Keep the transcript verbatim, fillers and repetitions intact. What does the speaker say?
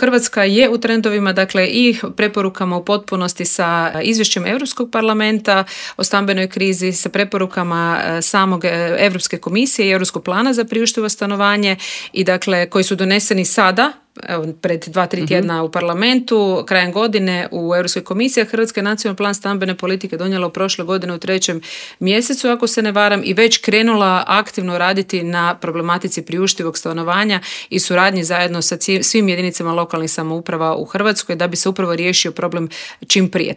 Hrvatska je u trendovima, dakle i preporukama u potpunosti sa izvješćem Europskog parlamenta o stambenoj krizi, sa preporukama samog Europske komisije i Europskog plana za priuštivo stanovanje i dakle koji su doneseni sada, evo, pred dva, tri tjedna mm-hmm. u parlamentu, krajem godine u Europskoj komisiji. Hrvatska je nacionalni plan stambene politike donijela u prošle godine u trećem mjesecu, ako se ne varam, i već krenula aktivno raditi na problematici priuštivog stanovanja i suradnji zajedno sa svim jedinicama lokalnih samouprava u Hrvatskoj da bi se upravo riješio problem čim prije.